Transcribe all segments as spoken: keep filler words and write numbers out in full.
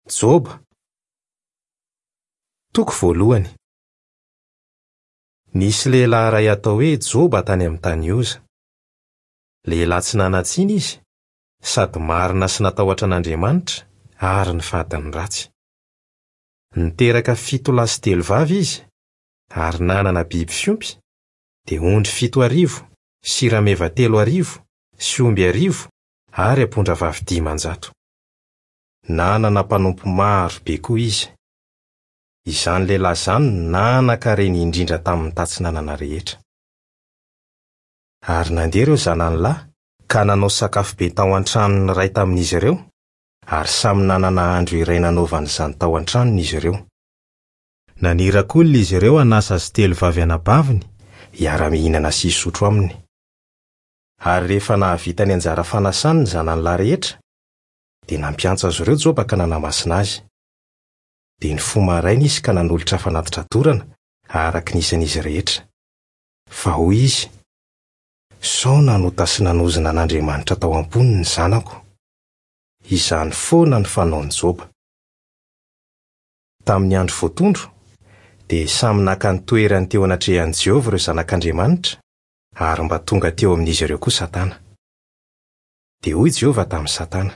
Joba Toko voalohany. Nisy lehilahy iray atao hoe Joba tany amin'ny tany Oza. Lehilahy tsy nanan-tsiny izy, sady marina sy natahotra an'Andriamanitra ary nifady ny ratsy. Niteraka fito lahy sy telo vavy izy, ary nanana biby fiompy, dia ondry fito arivo, sy rameva telo arivo, sy omby arivo, ary ampondravavy dimanjato. Nanana mpanompo maro be koa izy. Izany lehilahy izany no nanan-karena indrindra tamin'ny tatsinanana rehetra. Ary nandeha ireo zanany lahy ka nanao sakafo be tao an-tranon'ny iray tamin'izy ireo, ary samy nanana andro iray nanaovany izany tao an-tranony izy ireo. Naniraka olona izy ireo hanasa azy telo vavy anabaviny hiara-mihinana sy hisotro aminy. Ary rehefa nahavita ny anjara fanasany ny zanany lahy rehetra, dia nampiantso azy ireo Joba ka nanamasina azy. Dia nifoha maraina izy ka nanolotra fanatitra dorana araka ny isan'izy rehetra. Fa hoy izy: "Sao nanota sy nanozona an'Andriamanitra tao am-pony ny zanako." Izany foana ny fanaon'i Joba. Tamin'ny andro voatondro, dia samy naka ny toerany teo anatrehan'i Jehovah ireo zanak'Andriamanitra, ary mba tonga teo amin'izy ireo koa Satana. Dia hoy Jehovah tamin'i Satana: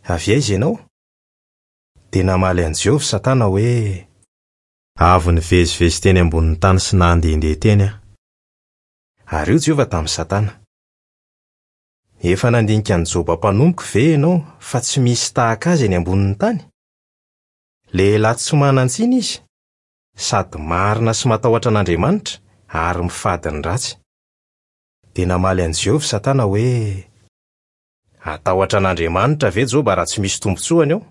"Avy aiza ianao?" Dia namaly an'i Jehovah Satana hoe: "Avy nivezivezy teny ambonin'ny tany sy nandehandeha teny aho." Ary hoy Jehovah tamin'i Satana: "Efa nandinika an'i Joba mpanompoko ve ianao fa tsy misy tahaka azy eny ambonin'ny tany? Lehilahy tsy manan-tsiny izy, sady marina sy matahotra an'Andriamanitra ary mifady ny ratsy." Dia namaly an'i Jehovah Satana hoe: "Hatahotra an'Andriamanitra ve Joba raha tsy misy tombontsoany eo?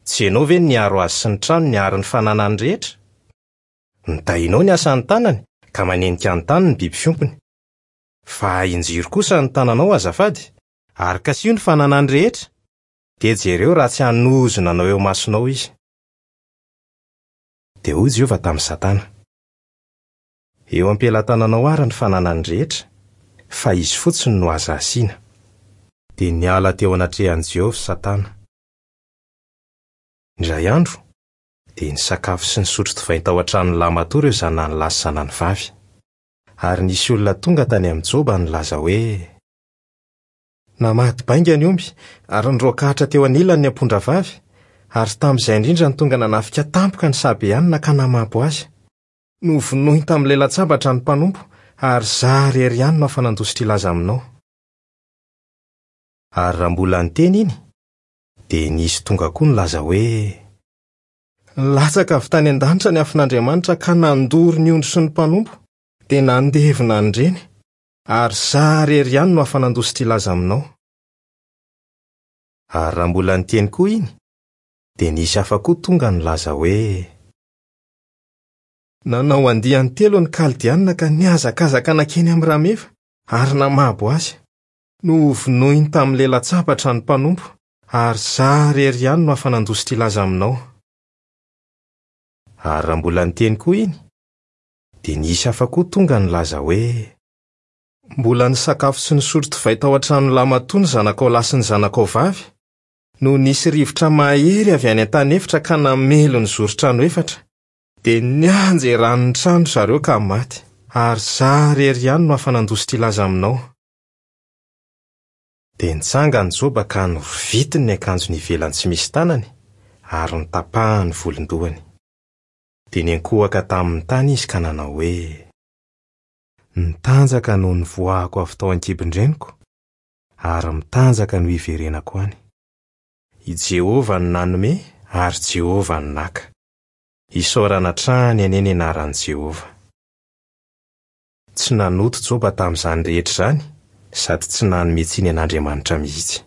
Tsy ianao ve no niaro azy sy ny tranony ary ny fananany rehetra? Nitahianao ny asan'ny tanany ka manenika ny tany ny biby fiompiny. Fa injiro kosa ny tananao azafady, ary kasiho ny fananany rehetra, dia jereo raha tsy hanozona anao eo imasonao izy." Dia hoy Jehovah tamin'i Satana: "Eo am-pelatananao ary ny fananany rehetra, fa izy fotsiny no aza asiana." Dia niala teo anatrehan'i Jehovah Satana. Indray andro, dia nisakafo sy nisotro divay tao an-tranon'ny lahimatoa ireo zanany lahy sy zanany vavy. Ary nisy olona tonga tany amin'i Joba nilaza hoe: "Namaty bainga ny omby ary niroakahatra teo anilany ny ampondravavy, ary tamin'izay indrindra no tonga nanafika tampoka ny Sabeanina ka namabo azy. Novonoiny tamin'ny lelan-tsabatra ny mpanompo, ary izaho irery ihany no afa-nandositra hilaza aminao." Ary raha mbola niteny iny, dia nisy tonga koa nilaza hoe: "Nilatsaka avy tany an-danitra ny afon'Andriamanitra ka nandoro ny ondry sy ny mpanompo, dia nandevona an'ireny, ary izaho irery ihany no afa-nandositra hilaza aminao." Ary raha mbola niteny koa iny, dia nisy hafa koa tonga nilaza hoe: "Nanao andiany telo ny Kaldeanina ka nihazakazaka nankeny amin'ny rameva ary namabo azy. Novonoiny tamin'ny lelan-tsabatra ny mpanompo, ary izaho irery ihany no afa-nandositra hilaza aminao." Ary raha mbola niteny koa iny, dia nisy hafa koa tonga nilaza hoe: "Mbola nisakafo sy nisotro divay tao an-tranon'ny lahimatoa ny zanakao lahy sy ny zanakao vavy, no nisy rivotra mahery avy any an-tany efitra ka namely ny zoron-trano efatra, dia nianjeran'ny trano zareo ka maty, ary izaho irery ihany no afa-nandositra hilaza aminao." Dia nitsangana Joba ka norovitiny ny akanjony ivelany tsy misy tanany ary notapahany ny volon-dohany. Dia niankohoka tamin'ny tany izy ka nanao hoe: "Nitanjaka no nivoahako avy tao an-kibon-dreniko, ary mitanjaka no hiverenako any. I Jehovah no nanome ary Jehovah no naka. Isaorana hatrany anie ny anaran'i Jehovah." Tsy nanoto Joba tamin'izany rehetra izany, sady tsy nanome tsiny an'Andriamanitra mihitsy.